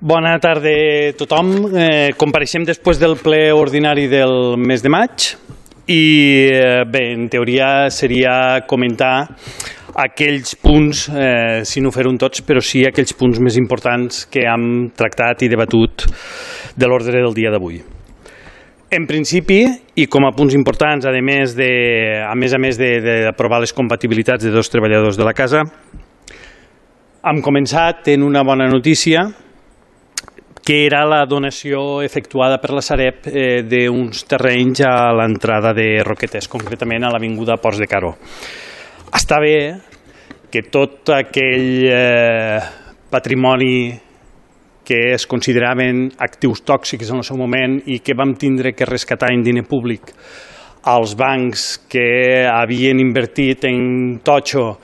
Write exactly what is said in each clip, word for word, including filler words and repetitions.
Bona tarda a tothom. Eh, compareixem després del ple ordinari del mes de maig i eh, bé, en teoria seria comentar aquells punts, eh, si no fer-ho tots, però sí aquells punts més importants que hem tractat i debatut de l'ordre del dia d'avui. En principi, i com a punts importants, a més de, a més, a més d'aprovar les compatibilitats de dos treballadors de la casa, hem començat en una bona notícia, que era la donació efectuada per la Sareb eh, d'uns terrenys a l'entrada de Roquetes, concretament a l'avinguda Ports de Caró. Està bé que tot aquell eh, patrimoni que es consideraven actius tòxics en el seu moment i que vam tindre que rescatar en diner públic als bancs que havien invertit en totxo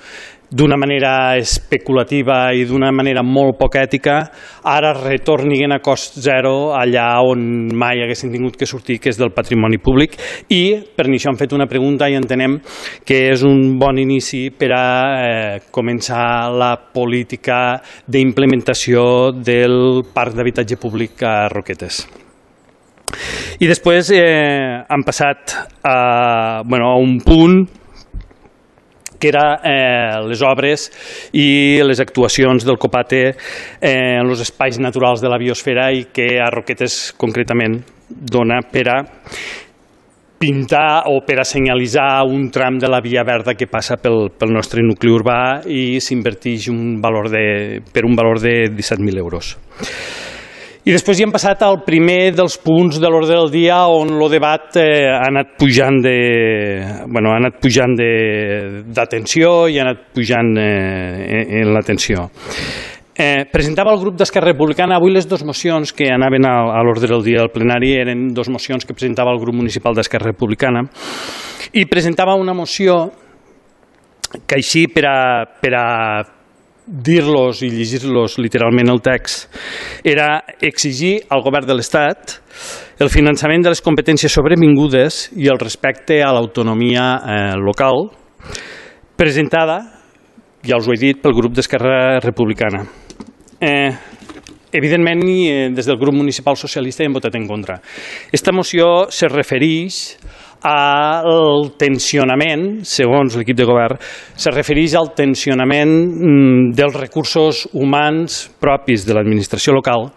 d'una manera especulativa i d'una manera molt poc ètica, ara retornin a cost zero allà on mai haguessin tingut que sortir, que és del patrimoni públic, i per això hem fet una pregunta i entenem que és un bon inici per a eh, començar la política d'implementació del parc d'habitatge públic a Roquetes. I després eh, hem passat a, bueno, a un punt que era eh, les obres i les actuacions del COPATE eh, en els espais naturals de la biosfera i que a Roquetes concretament dona per a pintar o per a senyalitzar un tram de la via verda que passa pel, pel nostre nucli urbà i s'inverteix un valor de, per un valor de disset mil euros. I després hi hem passat al primer dels punts de l'ordre del dia on el debat eh, ha anat pujant de, bueno, ha anat pujant d'atenció i ha anat pujant eh, en l'atenció. Eh, presentava el grup d'Esquerra Republicana avui les dues mocions que anaven a, a l'ordre del dia del plenari, eren dues mocions que presentava el grup municipal d'Esquerra Republicana i presentava una moció que així per a, per a dir-los i llegir-los literalment el text, era exigir al govern de l'Estat el finançament de les competències sobrevingudes i el respecte a l'autonomia eh, local, presentada, ja us ho he dit, pel grup d'Esquerra Republicana. Eh, evidentment, eh, des del grup municipal socialista hi hem votat en contra. Esta moció se refereix al tensionament, segons l'equip de govern, se refereix al tensionament dels recursos humans propis de l'administració local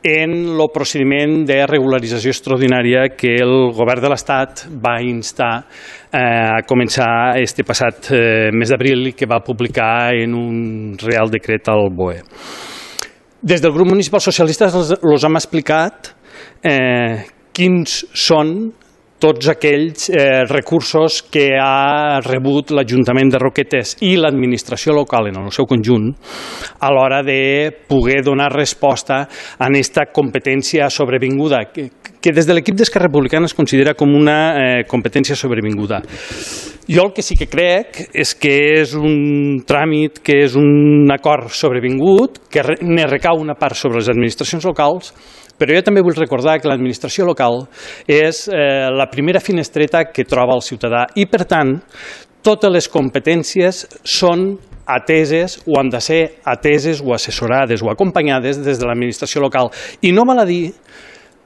en el procediment de regularització extraordinària que el govern de l'Estat va instar a començar este passat mes d'abril i que va publicar en un Real Decret al B O E. Des del grup municipal socialista els hem explicat eh, quins són tots aquells eh, recursos que ha rebut l'Ajuntament de Roquetes i l'administració local en el seu conjunt a l'hora de poder donar resposta a aquesta competència sobrevinguda, que, que des de l'equip d'Esquerra Republicana es considera com una eh, competència sobrevinguda. Jo el que sí que crec és que és un tràmit, que és un acord sobrevingut, que ne recau una part sobre les administracions locals, però jo també vull recordar que l'administració local és eh, la primera finestreta que troba el ciutadà i, per tant, totes les competències són ateses o han de ser ateses o assessorades o acompanyades des de l'administració local. I no val a dir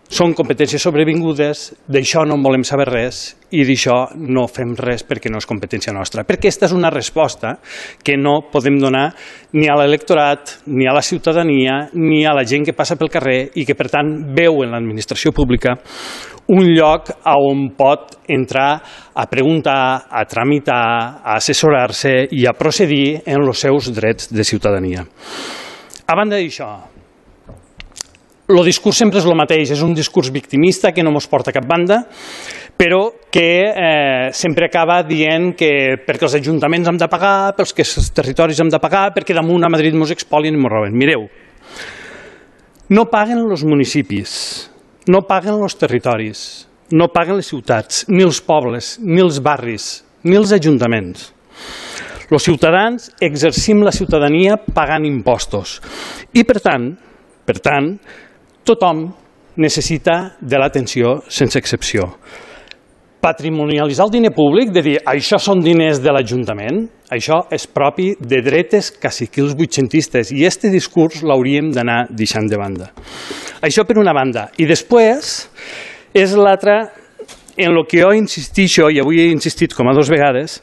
són competències sobrevingudes, d'això no en volem saber res i d'això no fem res perquè no és competència nostra. Perquè aquesta és una resposta que no podem donar ni a l'electorat, ni a la ciutadania, ni a la gent que passa pel carrer i que, per tant, veu en l'administració pública un lloc on pot entrar a preguntar, a tramitar, a assessorar-se i a procedir en els seus drets de ciutadania. A banda d'això, el discurs sempre és el mateix, és un discurs victimista que no ens porta a cap banda, però que eh, sempre acaba dient que perquè els ajuntaments hem de pagar, pels que els territoris hem de pagar, perquè damunt a Madrid ens expolien i ens roben. Mireu, no paguen els municipis, no paguen els territoris, no paguen les ciutats, ni els pobles, ni els barris, ni els ajuntaments. Els ciutadans exercim la ciutadania pagant impostos i, per tant, per tant, tothom necessita de l'atenció sense excepció. Patrimonialitzar el diner públic, de dir, això són diners de l'Ajuntament, això és propi de dretes caciquils vuitcentistes i aquest discurs l'hauríem d'anar deixant de banda. Això per una banda. I després és l'altra en el que jo insistixo, i avui he insistit com a dues vegades,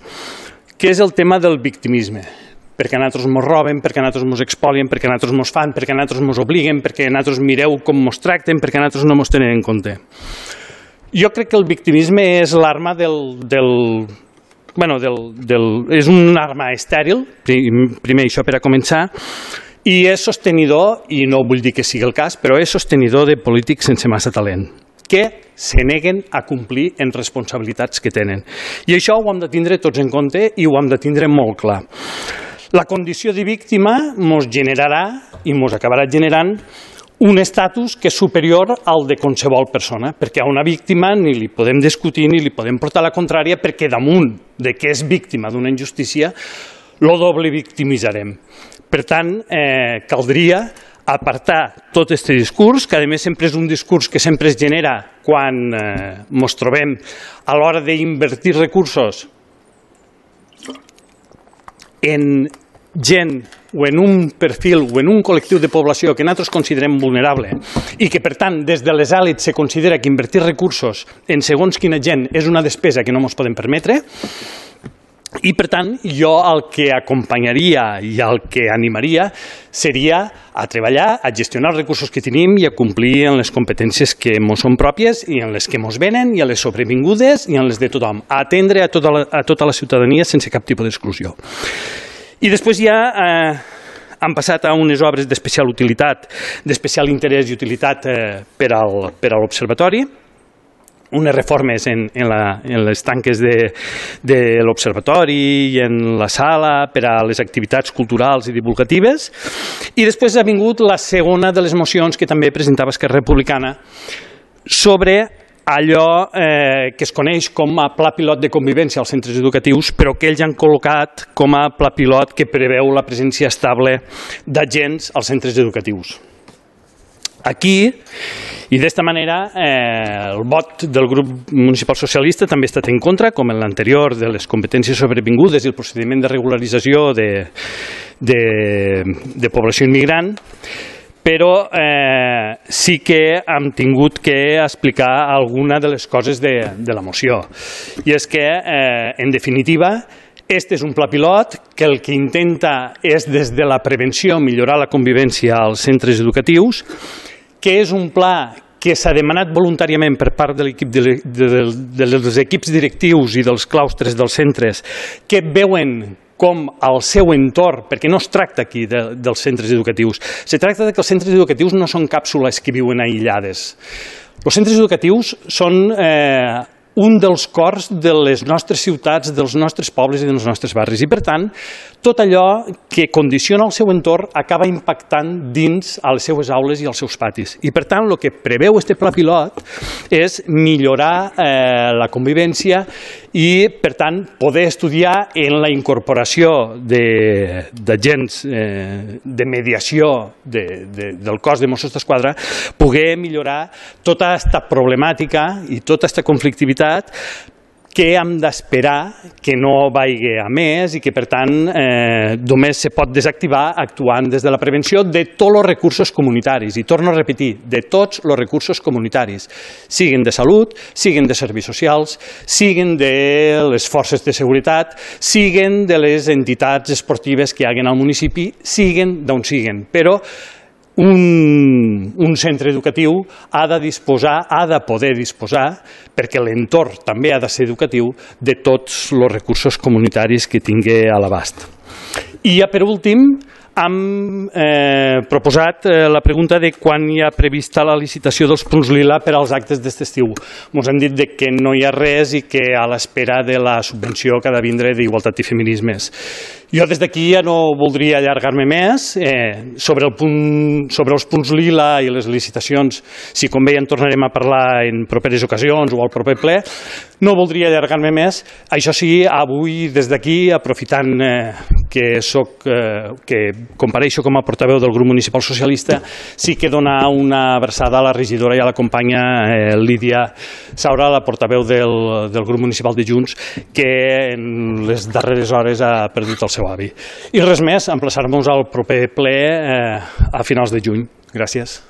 que és el tema del victimisme. Perquè a nosaltres ens roben, perquè a nosaltres ens expolien, perquè a nosaltres ens fan, perquè a nosaltres ens obliguen, perquè a nosaltres mireu com ens tracten, perquè a nosaltres no ens tenen en compte. Jo crec que el victimisme és l'arma del... del, bueno, del, del és una arma estèril, primer això per a començar, i és sostenidor, i no vull dir que sigui el cas, però és sostenidor de polítics sense massa talent, que se neguen a complir en responsabilitats que tenen. I això ho hem de tindre tots en compte i ho hem de tindre molt clar. La condició de víctima ens generarà i ens acabarà generant un estatus que és superior al de qualsevol persona, perquè a una víctima ni li podem discutir ni li podem portar la contrària, perquè damunt de que és víctima d'una injustícia, lo doble victimitzarem. Per tant, eh, caldria apartar tot aquest discurs, que a més sempre és un discurs que sempre es genera quan eh, ens trobem a l'hora d'invertir recursos en gent o en un perfil o en un col·lectiu de població que nosaltres considerem vulnerable i que, per tant, des de les èlits se considera que invertir recursos en segons quina gent és una despesa que no ens podem permetre. I, per tant, jo el que acompanyaria i el que animaria seria a treballar, a gestionar els recursos que tenim i a complir en les competències que ens són pròpies i en les que ens venen i en les sobrevingudes i en les de tothom. A atendre a tota la, a tota la ciutadania sense cap tipus d'exclusió. I després ja eh, han passat a unes obres d'especial utilitat, d'especial interès i utilitat eh, per al, per a l'Observatori, unes reformes en, en, la, en les tanques de, de l'Observatori i en la sala per a les activitats culturals i divulgatives. I després ha vingut la segona de les mocions que també presentava Esquerra Republicana sobre allò eh, que es coneix com a pla pilot de convivència als centres educatius, però que ells han col·locat com a pla pilot que preveu la presència estable d'agents als centres educatius. Aquí, i d'esta manera, eh, el vot del grup municipal socialista també ha estat en contra, com en l'anterior de les competències sobrevingudes i el procediment de regularització de, de, de població immigrant, però eh, sí que hem tingut que explicar alguna de les coses de, de la moció. I és que, eh, en definitiva, este és un pla pilot que el que intenta és, des de la prevenció, millorar la convivència als centres educatius, que és un pla que s'ha demanat voluntàriament per part de l'equip de, de, de, dels equips directius i dels claustres dels centres, que veuen com al seu entorn, perquè no es tracta aquí de, dels centres educatius, se tracta de que els centres educatius no són càpsules que viuen aïllades. Els centres educatius són eh, un dels cors de les nostres ciutats, dels nostres pobles i dels nostres barris. I, per tant, tot allò que condiciona el seu entorn acaba impactant dins a les seues aules i als seus patis. I, per tant, el que preveu este pla pilot és millorar eh, la convivència i, per tant, poder estudiar en la incorporació d'agents de, eh, de mediació de, de, del cos de Mossos d'Esquadra, poder millorar tota aquesta problemàtica i tota aquesta conflictivitat que hem d'esperar que no vagi a més i que, per tant, eh, només se pot desactivar actuant des de la prevenció de tots els recursos comunitaris. I torno a repetir, de tots els recursos comunitaris, siguin de salut, siguin de serveis socials, siguin de les forces de seguretat, siguin de les entitats esportives que hi hagin al municipi, siguin d'on siguin. Però Un, un centre educatiu ha de disposar, ha de poder disposar, perquè l'entorn també ha de ser educatiu, de tots els recursos comunitaris que tingui a l'abast. I ja per últim, hem eh, proposat eh, la pregunta de quan hi ha prevista la licitació dels punts lila per als actes d'aquest estiu. Ens han dit que no hi ha res i que a l'espera de la subvenció que ha de vindre d'Igualtat i Feminismes. Jo des d'aquí ja no voldria allargar-me més. Eh, sobre, el punt, sobre els punts lila i les licitacions, si convé en tornarem a parlar en properes ocasions o al proper ple, no voldria allargar-me més. Això sí, avui des d'aquí, aprofitant eh, que, soc, eh, que compareixo com a portaveu del grup municipal socialista, sí que donar una abraçada a la regidora i a la companya eh, Lídia Saura, la portaveu del, del grup municipal de Junts, que en les darreres hores ha perdut el seu avi. I res més, emplaçar-nos al proper ple eh, a finals de juny. Gràcies.